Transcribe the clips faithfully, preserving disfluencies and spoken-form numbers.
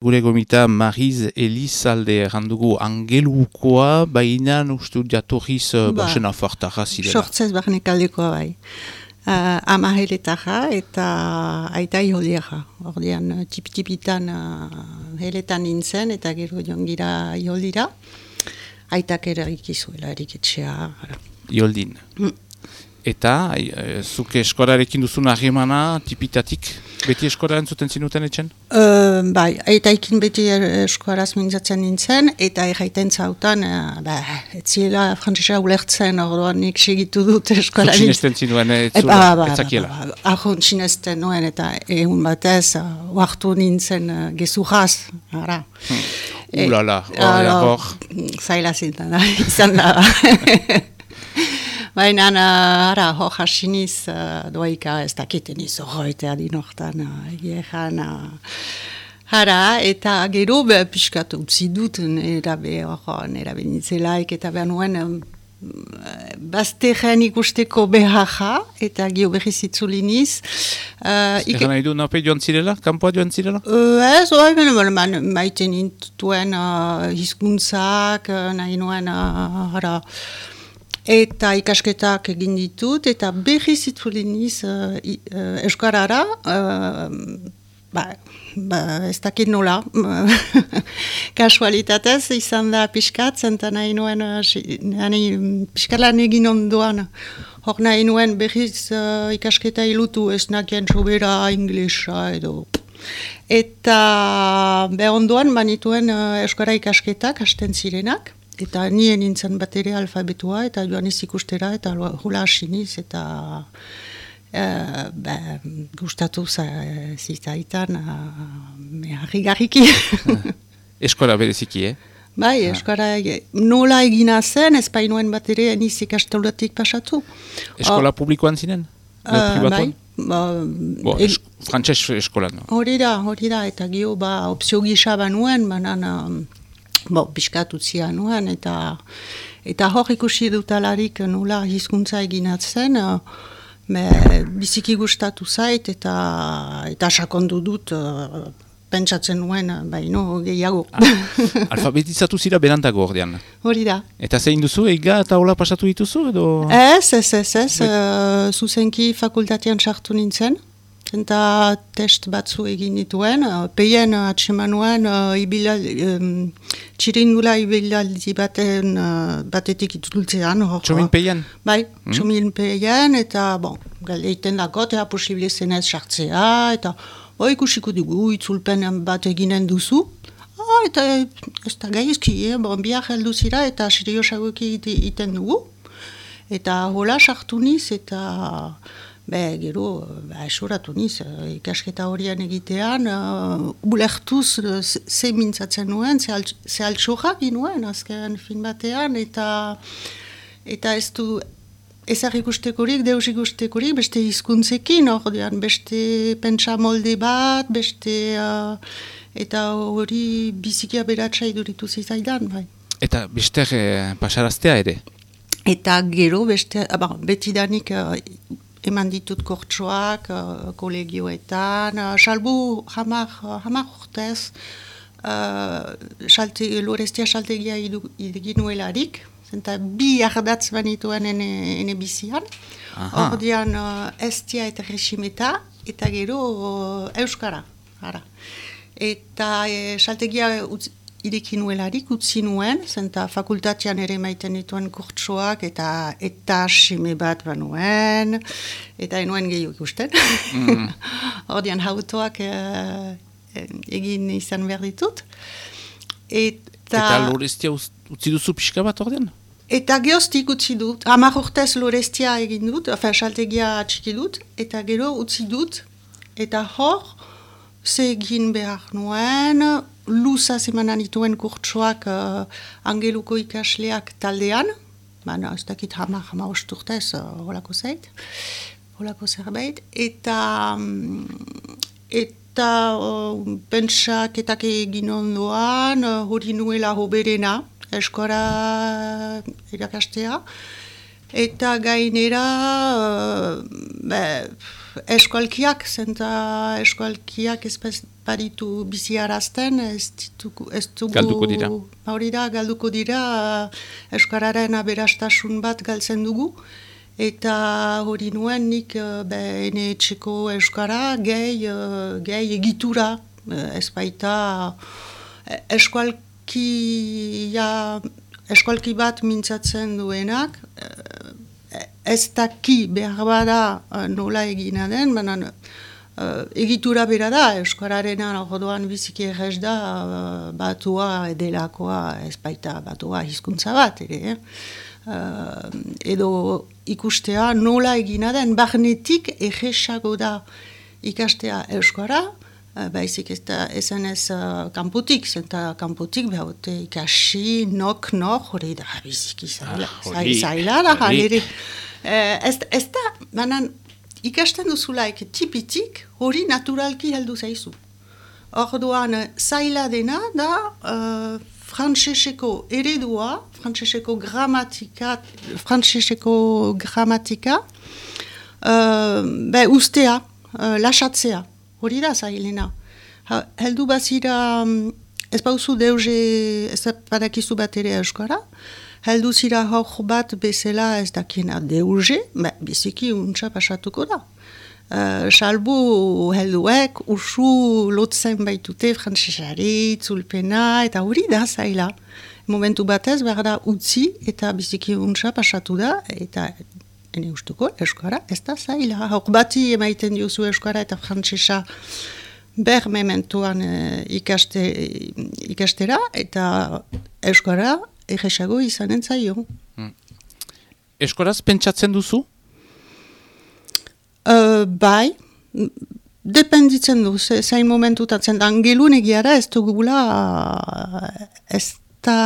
Gure gomita Mariz Elizalde errandugu angelukoa, baina ustu jatorriz ba, basena fartarra zirela. Sortzez barnekaldekoa bai. Uh, ama heletarra eta aita iholierra. Ordean tip-tipitan uh, heletan nintzen eta gero jongira iholdira. Aitak ere ikizuela eriketxea. Ioldin. Mm. Eta, e, zuke eskorarekin duzun harremana tipitatik, beti eskora entzuten zinuten etxen? Uh, bai, eta ikin beti eskoraz mintzatzen nintzen, eta erraiten zautan, uh, ba, etziela frantzesa ulertzen, orduan nik segitu dut eskola. Zuk sinesten zinuen, etzula, ba, ba, etzakiela? Ba, ba, ba, ahon sinesten nuen, eta egun batez, uh, oartu nintzen uh, gezurraz, ara. Hmm. Ulala, hori hor. Zaila zintan, izan da. Baina, ara, hor hasiniz uh, doaika ez dakiten izo hoitea dinortan egeran. Uh, Hara, eta gero be, piskat utzi dut, nera be, hor, nera benitzelaik, eta behar nuen um, bazterren ikusteko beharra, eta gio berriz itzuliniz. Uh, Egan nahi du, nape joan zirela? Kampoa joan zirela? Uh, ez, oi, ben, maiten intuen uh, hizkuntzak, uh, nahi nuen, uh, hara, eta ikasketak egin ditut, eta berriz itzuliniz uh, uh, euskarara, uh, ba, ba, ez dakit nola, kasualitatez izan da piskat, zenta nahi nuen, uh, piskatlan egin ondoan, hor nahi nuen berriz uh, ikasketa ilutu, ez nakien sobera inglesa edo. Eta be ondoan banituen uh, euskara ikasketak hasten zirenak, eta nien nintzen bat ere alfabetua, eta joan ez ikustera, eta hula hasiniz, eta e, be, gustatu zitaitan, harri-garriki. Eskola bereziki, eh? Bai, eskola nola egina zen, ez bainoen bat ere eniz ikastolatik pasatu. Eskola publikoan zinen? Uh, bai. Ba, Bo, es, frantses eskola, no? Hori da, hori da, eta gio ba, opzio gisa banuen, banan, bo, piskat utzia nuen, eta, eta hor ikusi dutalarik nola hizkuntza eginatzen, me, biziki gustatu zait, eta, eta sakondu dut, uh, pentsatzen nuen, baino gehiago. Ah, alfabetizatu zira berantago ordean. Hori da. Eta zein duzu, ega eta hola pasatu dituzu, edo? Ez, ez, ez, ez, uh, zuzenki fakultatean sartu nintzen, eta test batzu egin dituen, uh, peien uh, atsemanuen uh, um, txirindula ibilaldi baten, uh, batetik itultzean. Txomin peien? Bai, mm. txomin peien, eta bon, galeiten dako, eta posible zenez sartzea, eta bo, ikusiko dugu, itzulpen bat eginen duzu. Ah, eta ez da gaizki, eh? Bon, biak heldu zira, eta seriosagoki iten dugu. Eta hola sartu niz, eta be, gero, ba, esoratu niz, ikasketa horian egitean, uh, ulertuz uh, ze mintzatzen nuen, ze altxorra ginuen, azken fin batean, eta, eta ez du ezar ikustekorik, deus ikustekorik, beste hizkuntzekin, ordean, beste pentsa molde bat, beste, uh, eta hori bizikia beratxa iduritu zizaidan, bai. Eta beste eh, pasaraztea ere? Eta gero, beste, uh, betidanik, uh, eman ditut kortsoak, uh, kolegioetan, uh, salbu hamar, hamar urtez, uh, salte, lorestia saltegia iginuelarik, zenta bi ardatz banituen ene, ene bizian, ordean uh, estia eta resimeta, eta gero uh, euskara, ara. Eta e, saltegia utz, irekinuelarik utzi nuen, zenta fakultatean ere maiten dituen kurtsoak, eta eta sime bat banuen, eta enuen gehiago ikusten. Mm. Ordean hautoak e, egin izan behar ditut. Eta, eta lorestia utzi duzu pixka bat ordean? Eta geoztik utzi dut, hamar urtez lorestia egin dut, enfin, saltegia atxiki dut, eta gero utzi dut, eta hor, ze egin behar nuen, luza zemanan dituen kurtsoak uh, angeluko ikasleak taldean, baina ez dakit hamar, hamar osturtez, uh, holako zait, holako zerbait, eta, eta uh, pentsaketak egin ondoan, uh, hori nuela hoberena, eskora irakastea, eta gainera, uh, be, eskualkiak, zenta eskualkiak ez baditu biziarazten, ez ditugu... Ez dugu, galduko dira. Hori da, galduko dira, eskararen aberastasun bat galtzen dugu, eta hori nuen nik ene etxeko eskara gehi, gehi egitura, ez baita eskualkia, eskualki bat mintzatzen duenak, ez daki behar bada nola egina den, baina uh, egitura bera da, euskararena orduan biziki errez da, uh, batua edelakoa ez baita batua hizkuntza bat, ere, eh? uh, edo ikustea nola egina den, barnetik errezago da ikastea euskara, uh, baizik ez da esan ez uh, kanpotik, zenta kanpotik behaute ikasi, nok, nok, hori da biziki zaila, ah, zaila da, halere. Uh, ez, ez da, banan, ikasten duzulaik tipitik hori naturalki heldu zaizu. Orduan, zaila dena da uh, frantseseko eredua, frantseseko gramatika, frantseseko gramatika, uh, be ustea, uh, lasatzea, hori da zailena. Ha, heldu bazira, um, ez bauzu deuze, ez badakizu bat ere euskara, heldu zira hor bat bezala ez dakiena deuze, ba, biziki untsa pasatuko da. Uh, salbu helduek usu lotzen baitute frantsesari, itzulpena, eta hori da zaila. Momentu batez behar da utzi eta biziki untsa pasatu da, eta ene ustuko euskara ez da zaila. Hor bati emaiten diozu euskara eta frantsesa ber mementuan uh, ikaste, ikastera, eta euskara erresago izanen zaio. Hmm. Eskoraz pentsatzen duzu? Uh, bai, dependitzen du, zain momentutatzen. Angelun egiara ez dugula, ez da...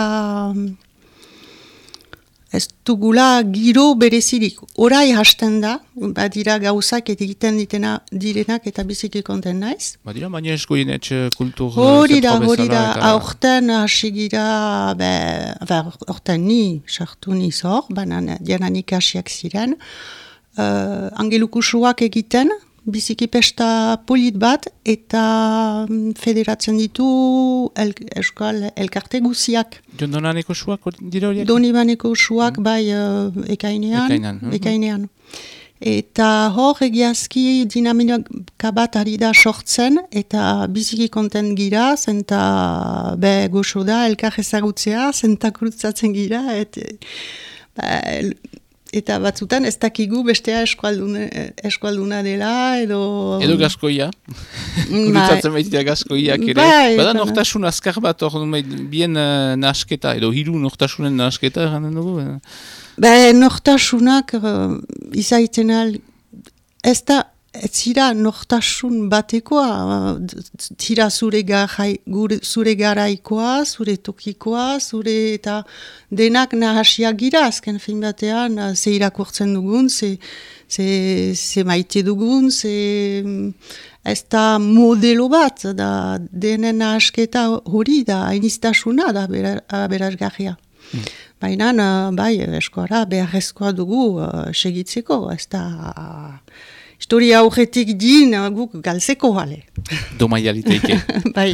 Ez dugula giro berezirik. Orai hasten da, badira gauzak egiten ditena direnak eta biziki konten naiz. Badira, baina eskoien etxe kultur... Hori da, hori da, aurten hasi gira, aurten ni, sartu niz hor, banan dianan ikasiak ziren, uh, angelukusuak egiten, biziki pesta polit bat, eta federatzen ditu el, euskal elkarte guziak. Donaneko suak dira horiek? Donibaneko suak, mm. bai, uh, ekainean. Ekainan. Mm-hmm. ekainean. Eta hor egiazki dinamika bat ari da sortzen, eta biziki konten gira, zenta be goxo da, elkar ezagutzea, zenta kurutzatzen gira, et, ba, eta batzutan ez dakigu bestea eskualduna, eskualduna dela, edo... Edo gaskoia. Kurutzatzen baitira gaskoiak ere. Bai, Bada nortasun azkar bat, hor bien uh, nasketa, edo hiru nortasunen nasketa, erranen dugu? Ba, nortasunak uh, izaiten al... Ez da, ez zira nortasun batekoa, zira zure, garai, gure, zure garaikoa, zure tokikoa, zure eta denak nahasiak gira, azken fin batean, ze irakurtzen dugun, ze, ze, ze maite dugun, ze ez da modelo bat, da denen nahasketa hori da, hainiztasuna da berazgarria. Mm. Baina, bai, eskora beharrezkoa dugu uh, segitzeko, ez da... Historia aurretik din, guk galtzeko hale. Domaialiteike. Bai.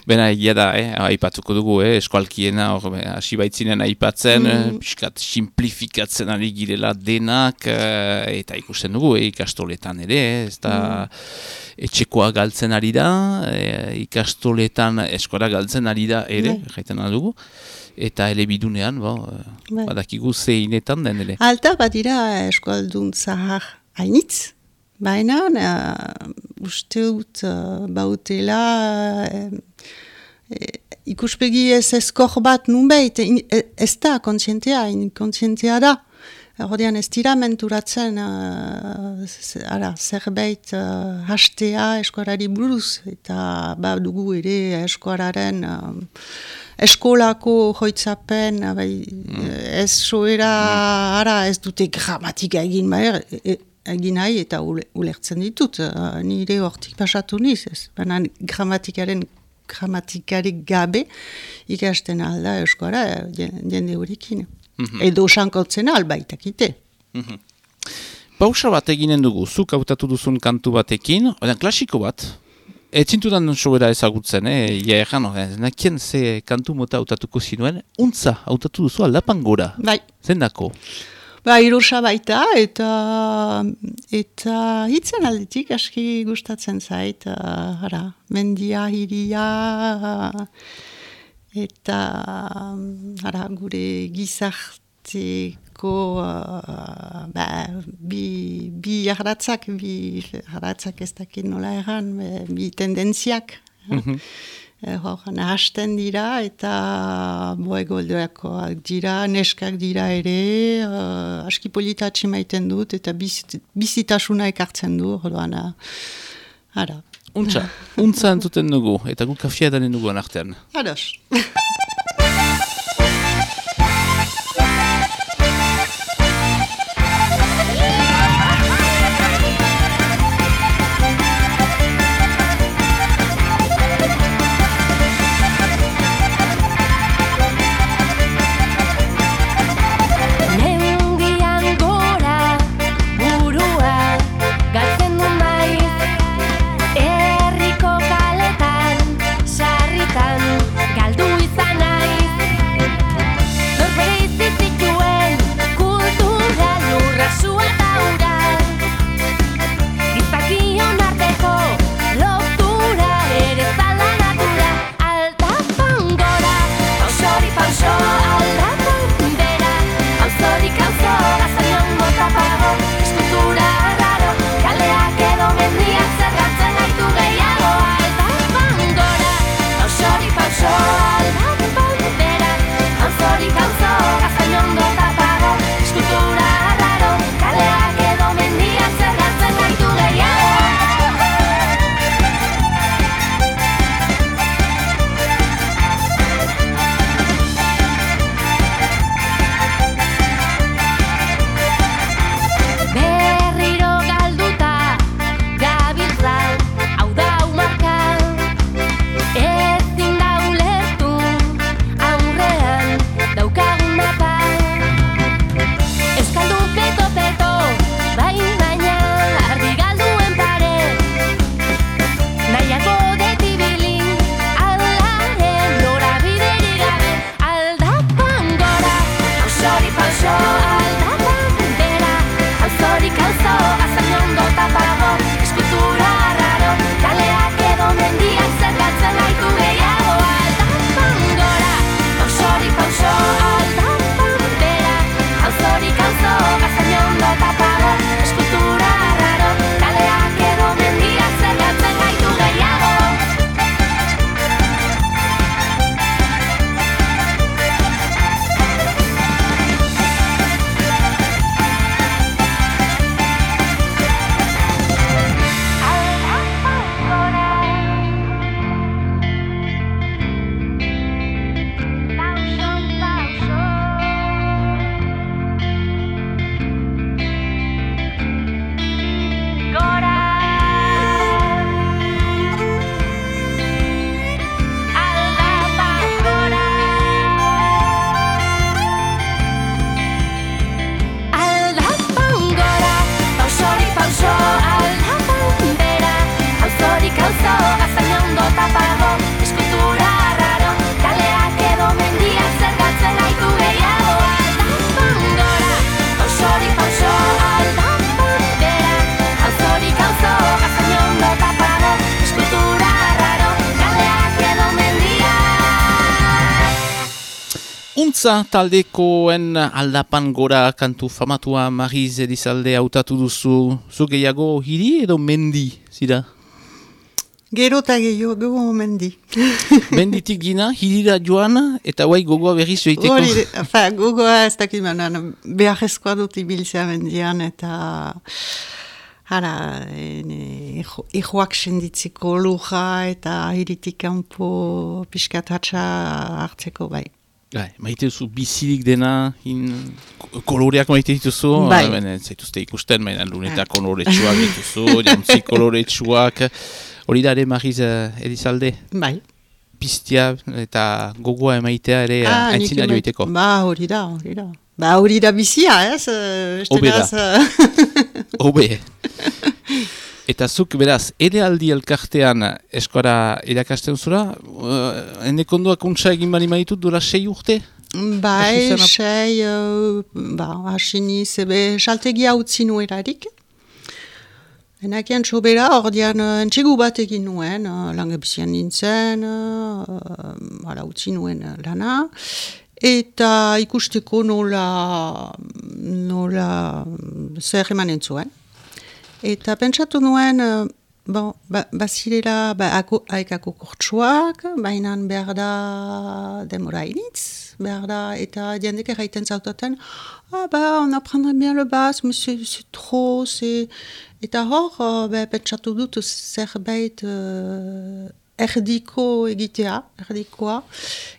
Bena egia da, eh? Aipatuko dugu, eh? Eskualkiena, hasi baitzinen aipatzen, mm. piskat simplifikatzen ari girela denak, eh, eta ikusten dugu, eh? Ikastoletan ere, eh? Ez da mm. etxekoa galtzen ari da, eh? Ikastoletan eskora galtzen ari da ere, jaiten dugu. Eta elebidunean, bo, bai. Badakigu zeinetan den ere. Alta badira eskualdun zahar hainitz, baina uh, uste dut uh, bautela uh, uh, ikuspegi ez eskor bat nunbait, ez da kontzientea, inkontzientea da. Hordian ez dira menturatzen uh, ara, zerbait uh, hastea eskuarari buruz, eta ba dugu ere eskuararen uh, eskolako joitzapen, bai, mm. ez soera, mm. ara ez dute gramatika egin, bai, e, egin nahi eta ulertzen ditut, uh, nire hortik pasatu niz, ez. Baina gramatikaren gramatikarik gabe ikasten alda euskara jende horrekin. Mm-hmm. Edo sankotzen albaitakite. Mm-hmm. Pausa bat eginen dugu, zuk hautatu duzun kantu batekin, odan klasiko bat, ez zintudan sobera ezagutzen, eh? Ja erran, nakien ze kantu mota hautatuko zinuen, untza hautatu duzu aldapan gora. Bai. Zendako? Ba, irosa baita, eta, eta hitzen aldetik aski gustatzen zait, uh, hara, mendia, hiria, eta hara, gure gizarteko uh, ba, bi, bi jarratzak, bi jarratzak ez dakit nola erran, bi tendentziak. Mm-hmm. Hor, nahasten dira eta boegoldoakoak dira, neskak dira ere, uh, aski politatxe maiten dut eta bizit, bizitasuna ekartzen du, horrean, ara. Untza, untza entzuten dugu, eta gu kafia danen dugu anartean. Ados. Untza taldekoen aldapan gora kantu famatua Mariz Elizalde hautatu duzu, zu gehiago hiri edo mendi, zira? Gero eta gehiago mendi. Menditik gina, hirira joan, eta guai gogoa berriz joiteko. Hori, fa, gogoa ez dakit manan, beharrezkoa dut ibiltzea mendian, eta hara, ejoak senditzeko luja, eta hiritik kanpo pixkat hatxa hartzeko bai. Bai, maite duzu bizirik dena, in, koloreak maite dituzu, bai. Zaituzte ikusten, maina luneta koloretsuak dituzu, jantzi koloretsuak, hori da ere Mariz Elizalde? Bai. Piztia eta gogoa emaitea ere ah, aintzina joiteko. Ba, hori da, hori da. Ba, hori da bizia, ez? Obeda. Hobe. Eta zuk, beraz, ere aldi elkartean eskora irakasten zura, uh, enekondoak untsa egin bali maitut dura sei urte? Bai, sei, uh, ba, hasini zebe saltegia utzi nuerarik. Enakian sobera, ordean uh, entxegu bat egin nuen, uh, langabizian nintzen, uh, ala utzi nuen uh, lana. Eta ikusteko nola, nola zer emanen zuen. Eta pentsatu nuen, uh, bon, ba, bazirela ba, haikako kurtsuak, baina behar da demora initz, behar da, eta diendek erraiten zautaten, ah ba, on apprendrait bien le basse, mais c'est, c'est trop, c'est... Eta hor, uh, ba, pentsatu dut zerbait uh, erdiko egitea, erdikoa,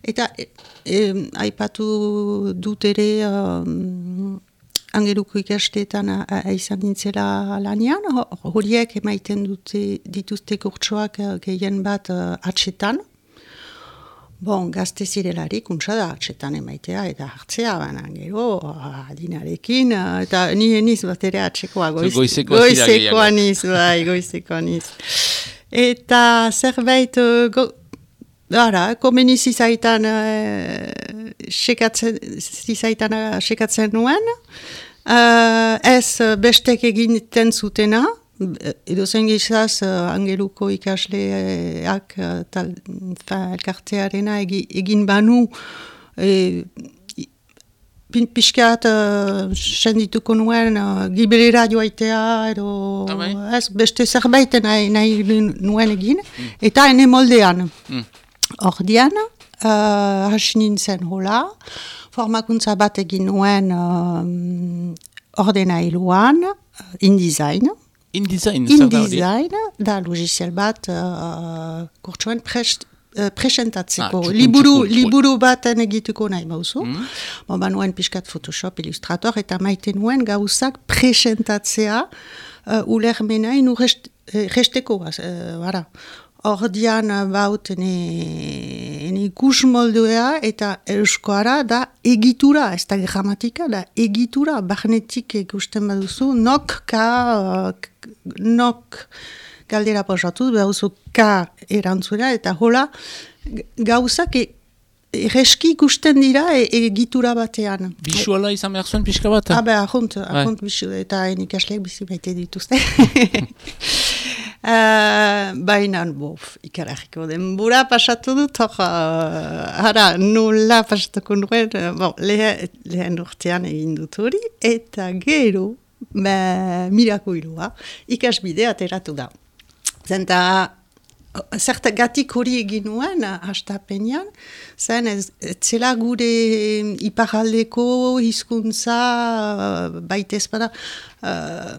eta e, e, aipatu dut ere... Um, Angeluko ikasteetan izan nintzela lanian, horiek emaiten dute dituzte kurtsoak gehien bat uh, atxetan. Bon, gazte zirelarik, untsa da atxetan emaitea eta hartzea, baina gero, adinarekin, uh, eta nire niz bat ere atxekoa, goiz, goizekoa, goizekoa niz, bai, goizekoa niz. Eta zerbait... Uh, go, Ara, komeni zizaitan uh, sekatzen, zizaitan uh, sekatzen nuen, uh, ez bestek egiten zutena, edo zen gizaz uh, Angeluko ikasleak uh, tal, fa, elkartearena egi, egin banu, e, pixkat uh, sendituko nuen uh, gibelera joaitea, edo ez beste zerbait nahi, nahi nuen egin, mm. eta ene moldean. Mm. Ordian, uh, hasi nintzen hola, formakuntza bat egin nuen um, ordenailuan, uh, InDesign. InDesign? InDesign, da logiciel bat uh, kurtsuen prest, uh, presentatzeko. Ah, liburu, liburu baten egituko nahi bauzu. Mm. Bon, ba nuen pixkat Photoshop, Illustrator, eta maite nuen gauzak presentatzea uh, ulermena inu rest, uh, resteko. Uh, bara. Ordian baut ene ikus moldea eta euskoara da egitura, ez da gramatika, da egitura, barnetik ikusten baduzu, nok, ka, uh, nok galdera posatu, baduzu ka erantzuna, eta hola gauzak e, erreski ikusten dira e, egitura batean. Bisuala izan behar zuen pixka bat? Ah, beha, ahont, ahont bisu, eta enikasleak bizi baite dituzte. Uh, Baina, bof, ikarariko denbora pasatu dut, hor, uh, ara, nola pasatuko nuen, uh, bon, lehen, lehen urtean egin dut hori, eta gero, ba, mirako ilua, ikasbide ateratu da. Zenta, zertagatik hori egin nuen, hastapenean, zen ez, zela gure iparaldeko hizkuntza, uh, baita ezpada, uh,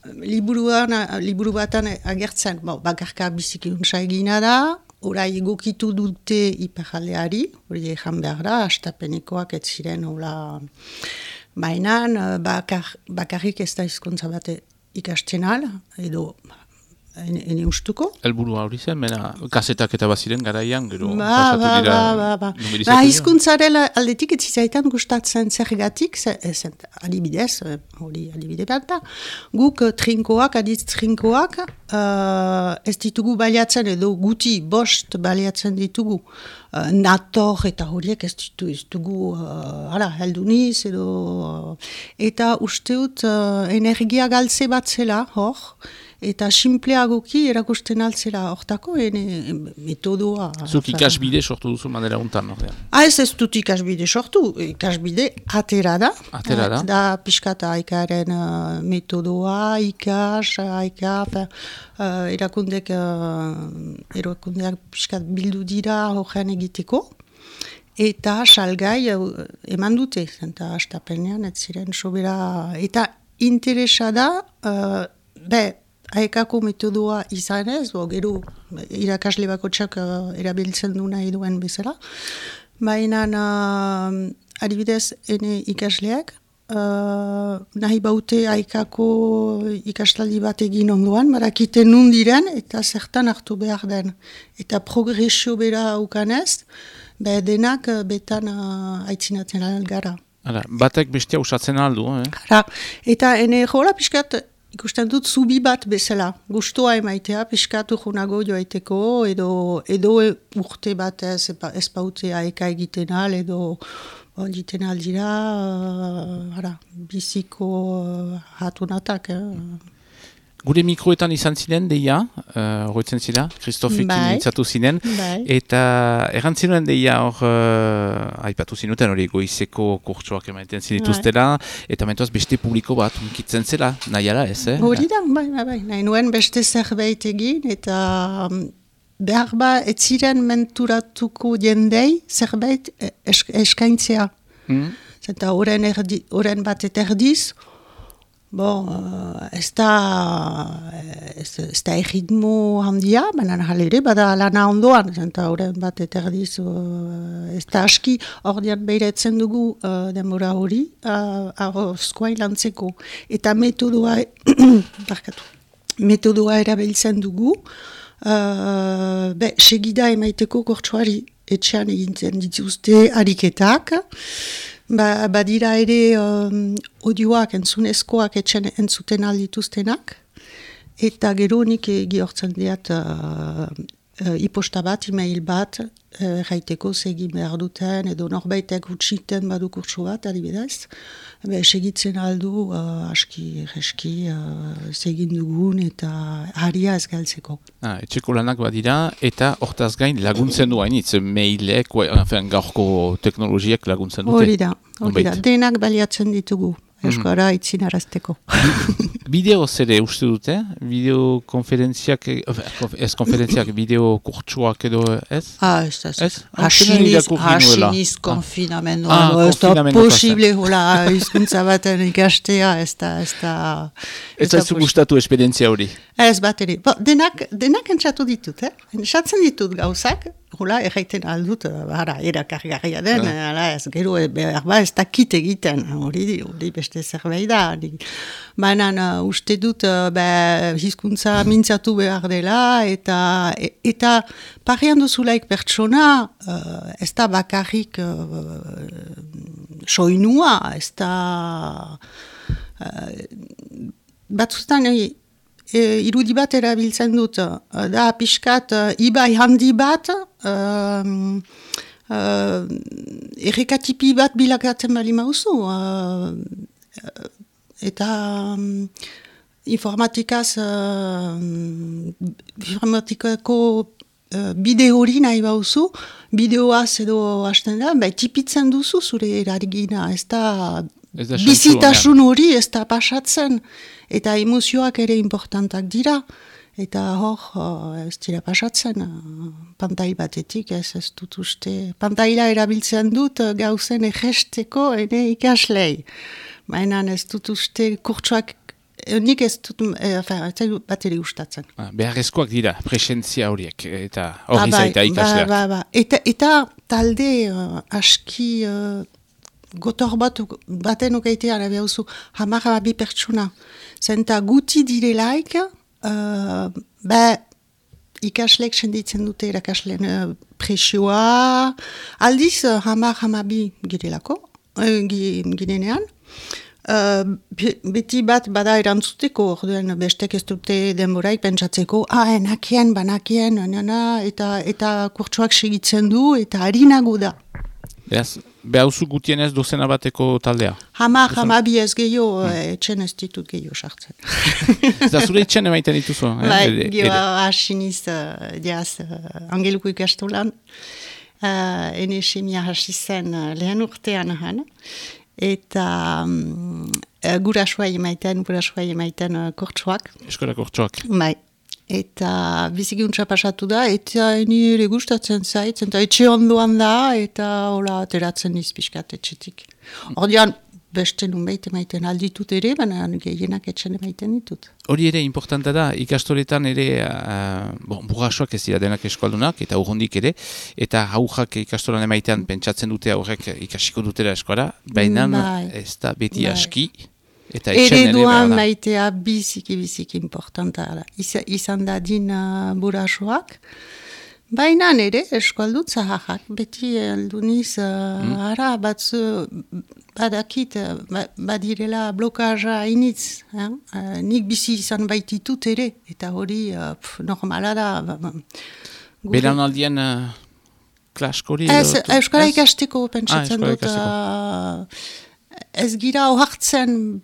Liburuan, liburu batan agertzen, bo, bakarka biziki untsa egina da, orai egokitu dute iparaldeari, hori egan behar da, hastapenekoak ez ziren, hola, mainan, bakar, bakarrik ez da hizkuntza bat ikasten al, edo, ene, ene ustuko. Elburua hori zen, mena, kasetak eta baziren garaian, gero ba, pasatu ba, dira ba, ba, numerizatu ba. dira. Hizkuntzaren aldetik ez zizaitan gustatzen zergatik, adibidez, hori adibide bat da, guk trinkoak, aditz trinkoak, uh, ez ditugu baliatzen, edo guti bost baliatzen ditugu, uh, nator eta horiek ez ditugu, ez dugu, uh, hala, helduniz, edo, uh, eta usteut uh, energia galtze bat zela, hor, eta simpleagoki erakusten altzera hortako, ene metodoa. Zuk ikasbide sortu duzu manera untan, ordean? Ah, ez ez dut ikasbide sortu, ikasbide atera da. Atera da? Da piskata aikaren uh, metodoa, ikas, aika, uh, erakundek, uh, erakundeak piskat bildu dira horrean egiteko. Eta salgai uh, eman dute, zenta hastapenean, ez ziren sobera, eta interesa da, uh, be, Aekako metodoa izan ez, bo, gero irakasle bakotxak uh, erabiltzen du nahi duen bezala. Baina uh, adibidez ene ikasleak, uh, nahi baute Aekako ikastaldi bat egin ondoan, barakiten nundiren eta zertan hartu behar den. Eta progresio bera ukanez, be denak uh, betan uh, aitzinatzen gara. Hala, batek bestia usatzen aldu, eh? Hala, eta ene jola pixkat ikusten dut zubi bat bezala. Gustoa emaitea, piskatu junago joaiteko, edo, edo urte bat ez, ez pautea eka egiten al, edo egiten aldira, uh, ara, biziko uh, hatunatak. Eh. Gure mikroetan izan ziren, deia, horretzen uh, zira, Kristofekin bai. Itzatu zinen, bai. Eta errantzinoen deia hor, uh, aipatu zinuten hori goizeko kurtsoak emaiten zinituztela, bai. Eta mentoaz beste publiko bat unkitzen zela, nahiara ez, eh? Hori da, bai, bai, bai, nahi nuen beste zerbait egin, eta um, behar ba, ez ziren menturatuko jendei zerbait esk eskaintzea. Mm. Zenta horren erdi, bat eta erdiz, bon, uh, ez da, ez da egitmo handia, baina jalere, bada lana ondoan, zenta horren bat eta erdiz, uh, ez da aski, ordean behiretzen dugu uh, denbora hori, uh, skoain lantzeko. Eta metodoa, barkatu, metodoa erabiltzen dugu, uh, be, segida emaiteko kortsuari, etxean egintzen dituzte ariketak, Ba, badira ere um, audioak entzunezkoak etxen entzuten aldituztenak, eta gero nik gihortzen diat uh, uh, iposta bat, email bat, uh, jaiteko segin behar duten, edo norbaitek utsiten badu kurtso bat, adibidez, be, segitzen aldu uh, aski, reski, uh, segin dugun eta haria ez galtzeko. Ah, etxeko lanak badira, eta hortaz gain laguntzen du hainitz, mailek, enfin, gaurko teknologiak laguntzen dute. Hori da, hori da, denak baliatzen ditugu, euskara mm. itzin arazteko. Bideo zere uste dute, bideokonferentziak, ez konferentziak, bideo kurtsuak edo ez? Ah, ez da, ez. Hasiniz konfinamendua, ez da posible, hola, izkuntza baten ikastea, ez da, ez da... Ez da zu gustatu esperientzia hori? Ez bat ere, denak, denak entzatu ditut, eh? Entzatzen ditut gauzak, hola, erraiten aldut, bara, erakargarria den, ah. ala, ez gero, behar ba, ez dakit egiten, hori, hori beste zerbait da. Baina, uh, uste dut, uh, be, hizkuntza mintzatu behar dela, eta, eta parian duzulaik pertsona, uh, ez da bakarrik uh, soinua, ez da... Uh, batzutan, e, irudi bat erabiltzen dut, da pixkat uh, ibai handi bat, uh, uh, errekatipi bat bilakatzen bali mauzu. Uh, eta um, informatikaz, uh, informatikako uh, bideo hori nahi bauzu, bideoaz edo hasten da, bai tipitzen duzu zure erargina, ez da... Bizitasun hori ez da pasatzen, eta emozioak ere importantak dira, eta hor ez dira pasatzen, pantai batetik ez ez dut uste. Pantaila erabiltzen dut gauzen egesteko ene ikaslei, baina ez dut uste kurtsuak, nik ez dut bat ere gustatzen. Ah, beharrezkoak dira, presentzia horiek, eta hori zaita ikasleak. Ba, ba, ba. Eta, eta talde uh, aski... Uh, gotor bat baten okaitea behauzu hamar bi pertsona. Zenta guti direlaik, uh, ba, ikaslek senditzen dute erakasleen uh, presioa, aldiz uh, hamar hamabi girelako, uh, girenean. Uh, beti bat bada erantzuteko, orduan bestek ez dute denboraik pentsatzeko, ah, enakien, banakien, nana, eta, eta kurtsuak segitzen du, eta harinago da. Beraz, behauzu gutien ez dozena bateko taldea? Hama, hama bi ez gehiago, hmm. etxen ez ditut gehiago sartzen. Ez da zure etxen emaiten dituzu? Bai, eh? Gioa hasiniz, uh, diaz, uh, angeluko ikastolan, uh, ene semia hasi zen uh, lehen urtean han, eta um, uh, gurasua emaiten, gurasua emaiten uh, kortsuak. Eskola kortsuak. Bai. Eta bizikuntza pasatu da, eta eni ere gustatzen zait, eta etxe ondoan da, eta hola ateratzen izpiskat etxetik. Ordean, beste nunbait emaiten alditut ere, baina gehienak etxen emaiten ditut. Hori ere importanta da, ikastoretan ere, uh, bon, burrasoak ez dira denak eskualdunak, eta urrundik ere, eta haujak ikastoran emaitean pentsatzen dute aurrek ikasiko dutela eskola, baina ez da beti bai. Aski. Ereduan maitea biziki, biziki importanta da. Izan da din uh, burasoak. Baina nire eskualdut zaharrak. Beti alduniz, uh, mm. ara, batzu, badakit, ba, badirela blokaja initz. Eh? Uh, nik bizi izan baititut ere, eta hori uh, pf, normala da. Ba, ba, Beran aldien uh, klaskori? Ez, euskara ikasteko pentsatzen ah, dut. Uh, ez gira ohartzen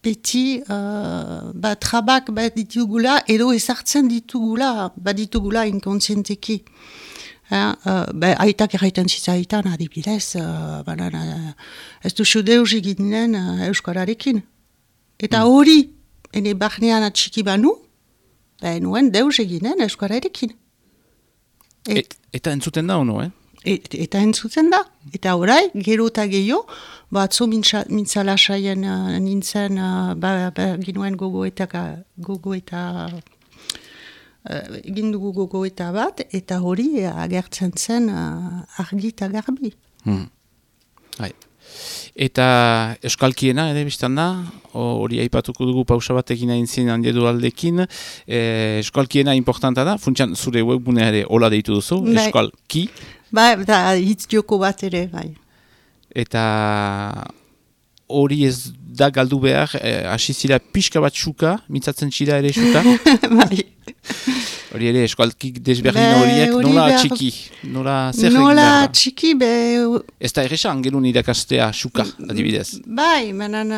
beti uh, ba, trabak bat ditugula, edo ezartzen ditugula, bat ditugula inkontzienteki. Uh, uh, aitak erraiten zitzaitan, adibidez, uh, banan, uh, ez du deus eginen uh, euskararekin. Eta hori, mm. ene barnean atxiki banu, ba, nuen deus eginen euskararekin. Et, Et, eta entzuten da, ono, eh? Et, eta entzuten da. Eta orai, gero eta gehiago, batzu mintzala saien uh, nintzen, uh, ba, ba, ginuen gogo eta, gogo eta Uh, egin dugu gogoeta bat, eta hori uh, agertzen zen uh, argi eta garbi. Hmm. Eta euskalkiena, ere biztan da, hori aipatuko dugu pausa bat egin hain zin handiedu aldekin, e, euskalkiena importanta da, funtsan zure webgunea ere hola deitu duzu, bai. Euskalki. Bai, eta hitz joko bat ere, bai. Eta hori ez da galdu behar, hasi zira pixka bat xuka, mitzatzen zira ere xuka. Bai. Hori ere, eskualkik desberdin horiek, nola behar... txiki? Nola zer nola txiki, be... Ez da erresa, angelun irakastea xuka, adibidez. Bai, menan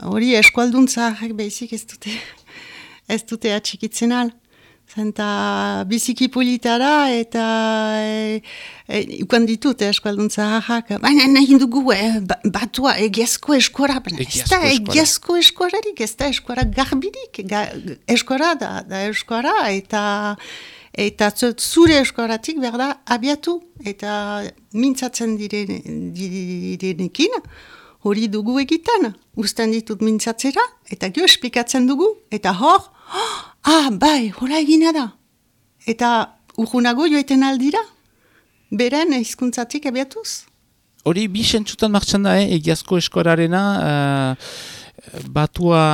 hori uh, eskualduntza behizik ez dute, ez dute atxikitzen al. Zenta biziki polita da, eta e, e, ukan ditut eskualduntza hahak. Baina nahi dugu, eh, batua egiazko eskora. Ez da egiazko eskorarik, ez da eskora garbirik. Ga, eskora da, da eskora, eta, eta zure eskoratik berda abiatu. Eta mintzatzen diren, direnekin, hori dugu egiten. Uzten ditut mintzatzera, eta gio esplikatzen dugu, eta hor, ah, bai, hola egina da. Eta urgunago joeten aldira, beren hizkuntzatik abiatuz. Hori bi sentzutan martxan da, eh? Egiazko eskorarena, uh, batua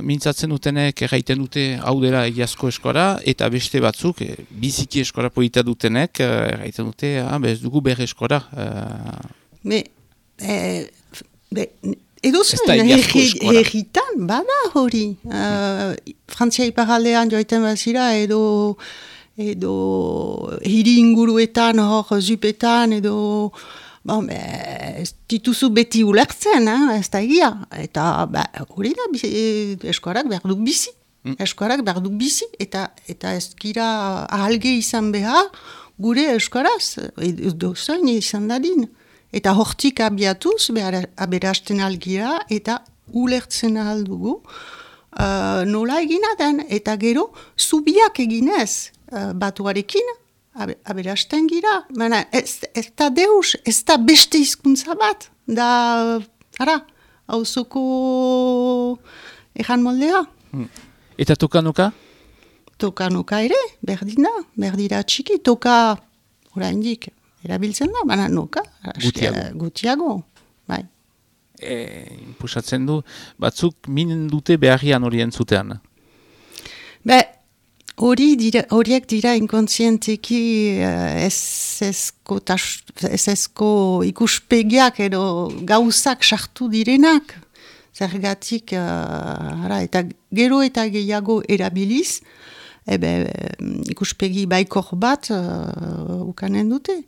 mintzatzen dutenek erraiten dute hau dela egiazko eskora, eta beste batzuk, eh, biziki eskora polita dutenek, uh, erraiten dute, ah, bez dugu berre eskora. Uh... Me, eh, be, edo zen, herritan, bada hori. Uh, Frantzia iparaldean joiten bazira, edo, edo hiri inguruetan, hor zupetan, edo... Bon, be, ez dituzu beti ulertzen, eh? Ez da egia. Eta hori da, eskorak behar duk bizi. Mm. Eskorak behar duk bizi, eta, eta ez gira ahalge izan behar, gure eskoraz, edo zain izan dadin. Eta hortik abiatuz, aberasten algira, eta ulertzen aldugu, uh, nola egina den, eta gero, zubiak eginez uh, batuarekin, aberasten gira. Baina, ez, ez da deus, ez da beste hizkuntza bat, da, ara, hauzoko ejan moldea. Hmm. Eta toka-noka? Toka-noka ere, berdina, berdira txiki, toka, oraindik, erabiltzen da, baina noka, gutiago. gutiago, bai. E, Pusatzen du, batzuk minen dute beharrian hori entzutean? Be, hori dira, horiek dira inkontzienteki esesko ikuspegiak edo gauzak sartu direnak, zergatik, uh, ara, eta gero eta gehiago erabiliz, ebe, ikuspegi baikor bat uh, ukanen dute.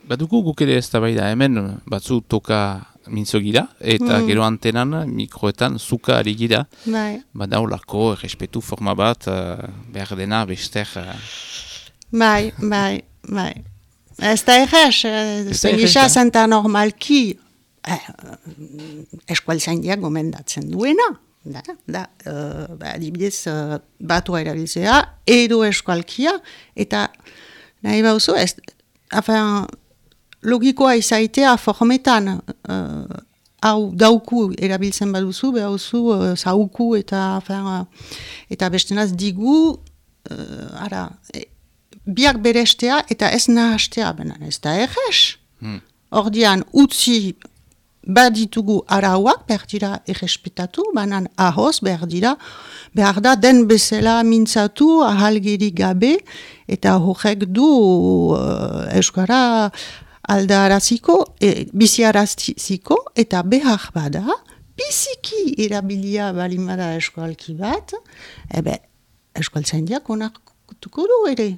Badugu guk ere ez da bai da, hemen batzu toka mintzo gira, eta mm. gero antenan, mikroetan, zuka ari gira. Bai. Bada olako, errespetu forma bat, uh, behar dena, bester... Uh... Bai, bai, bai. Ez da errez, zengisa zenta normalki, eh, eskualzaindiak gomendatzen duena. Da, da, uh, ba, adibidez, uh, batua erabiltzea, edo eskualkia, eta nahi bauzu, ez, afan, logikoa izaitea formetan, uh, hau dauku erabiltzen baduzu, behauzu uh, zauku eta, afan, uh, eta bestenaz digu, uh, ara, e, biak berestea eta ez nahastea, benan ez da errez. Hmm. Ordian, utzi baditugu arauak, behar dira errespetatu, banan ahoz, behar dira, behar da den bezala mintzatu, ahalgerik gabe, eta horrek du uh, euskara aldaraziko, e, biziaraziko, eta behar bada, biziki erabilia balimada eskualki bat, ebe, eskualtzaindiak onartuko du ere.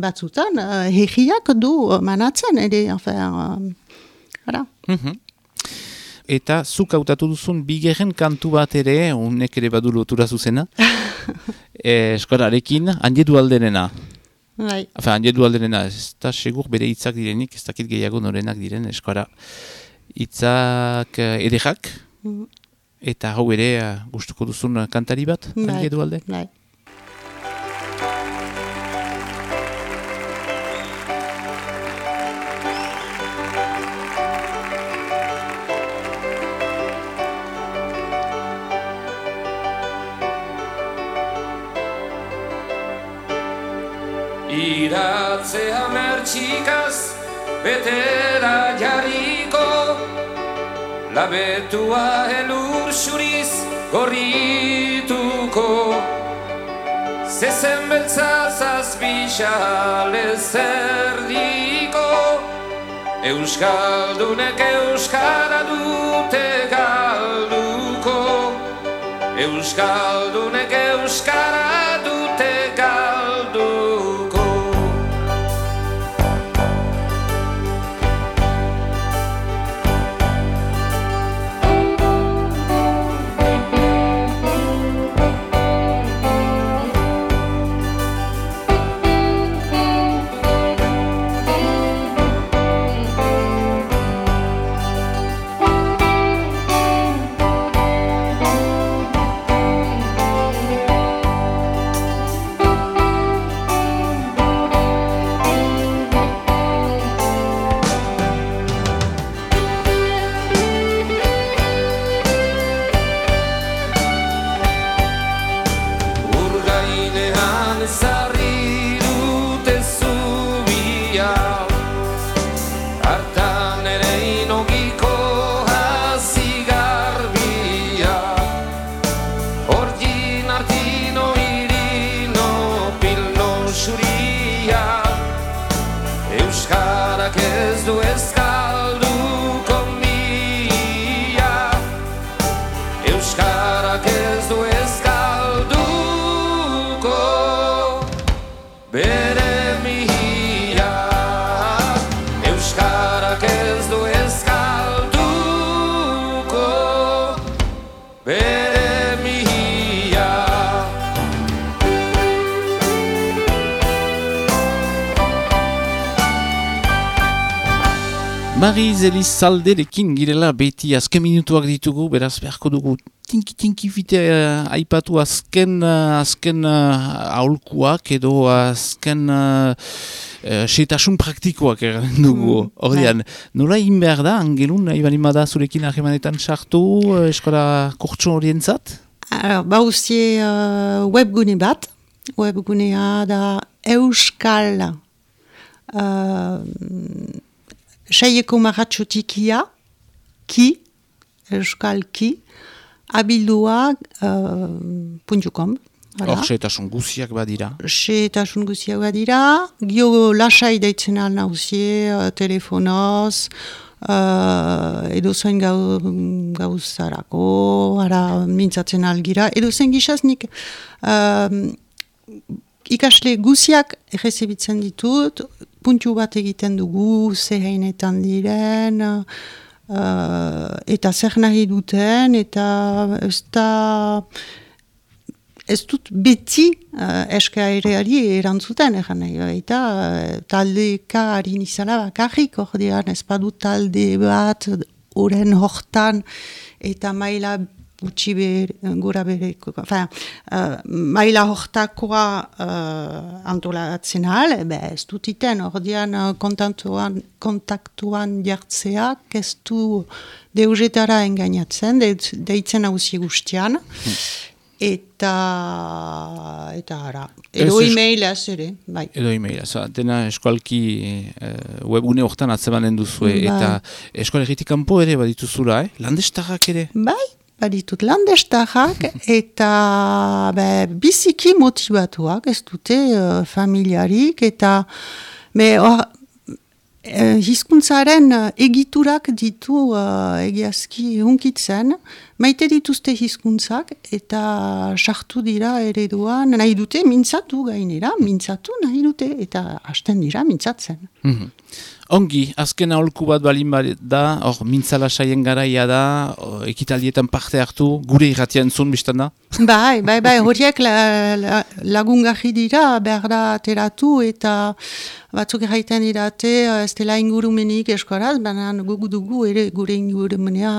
Batzutan, uh, herriak du manatzen ere, enfin, uh, mm-hmm. Eta zuk hautatu duzun bigarren kantu bat ere, unek ere badu lotura zuzena, e, eskolarekin, handiedu aldenena. Bai. Enfin, handiedu aldenena, ez da segur bere hitzak direnik, ez dakit gehiago norenak diren eskola. Hitzak ederrak, mm-hmm. eta hau ere uh, gustuko duzun kantari bat, bai. handiedu alde? Bai. Iratzea mertxikaz betera jarriko, labetua elur xuriz gorrituko, zezen beltza zazpixale zerdiko, euskaldunek euskara dute galduko, euskaldunek euskara dute galduko. Mariz Elizalderekin girela beti azken minutuak ditugu, beraz beharko dugu tinki-tinki fite uh, aipatu azken, uh, azken uh, aholkuak edo azken uh, uh, setasun praktikoak erren dugu. Mm, Ordean, nola egin behar da, Angelun, nahi balimada zurekin ahemanetan sartu, uh, eskola kurtso horientzat? Ba uzie uh, webgune bat, webgunea da Euskal uh, Saieko maratxotikia, ki, euskal ki, abildua uh, puntu com. Hor, seetasun guziak badira. Seetasun guziak badira. Gio lasai deitzen al nauzie, uh, telefonoz, uh, edo zain gau, gauzarako, ara mintzatzen algira, edo zain gizaznik uh, ikasle guziak errezebitzen ditut, puntu bat egiten dugu, zehainetan diren, uh, eta zer nahi duten, eta ez da, ez dut beti uh, eskaereari erantzuten, eran nahi, eta uh, taldeka harin izala bakarrik, ordean ez badut talde bat, oren hortan, eta maila gutxi bere, gura bereko, enfin, uh, maila hortakoa uh, antolatzen ahal, be, ez dut iten, ordean uh, kontaktuan, kontaktuan jartzeak, ez du deugetara engainatzen, de, deitzen hauzi guztian, hmm. eta, eta ara, edo e-mailaz ere, bai. Edo e-mailaz, dena eskualki uh, webune hortan atzemanen duzue, ba. Eta eskualegitik kanpo ere badituzula, eh? Landestarrak ere? Bai. Baditut landestarrak eta be, biziki motibatuak, ez dute uh, familiarik, eta me, or, eh, hizkuntzaren eh, egiturak ditu uh, egiazki hunkitzen, maite dituzte hizkuntzak eta sartu dira ereduan, nahi dute mintzatu gainera, mintzatu nahi dute eta hasten dira mintzatzen. Mm-hmm. Ongi, azken aholku bat balin da, hor, mintzala saien garaia da, o, ekitaldietan parte hartu, gure irratia entzun biztan da? Bai, bai, bai, horiek la, la, lagungarri dira, behar da ateratu eta batzuk erraiten dirate, ez dela ingurumenik eskoraz, baina gugu dugu ere gure ingurumenea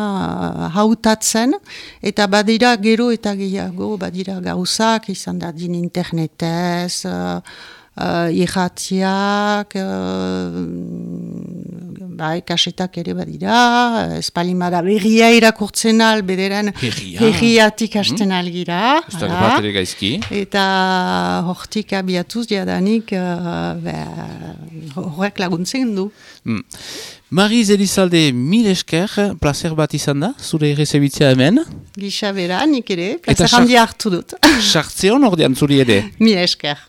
hautatzen, eta badira gero eta gehiago, badira gauzak, izan da din internetez, uh, Uh, irratiak, uh, bai, kasetak ere badira, espalimada berria irakurtzen al, bederen berriatik hasten algira. Ez da bat ere gaizki. Eta hortik abiatuz jadanik uh, horrek laguntzen du. Mm. Mariz Elizalde, mil esker, placer bat izan da, zure errezebitzea hemen. Gisa bera, nik ere, placer handi hartu dut. Sartzeon ordean zuri ere. Mil esker.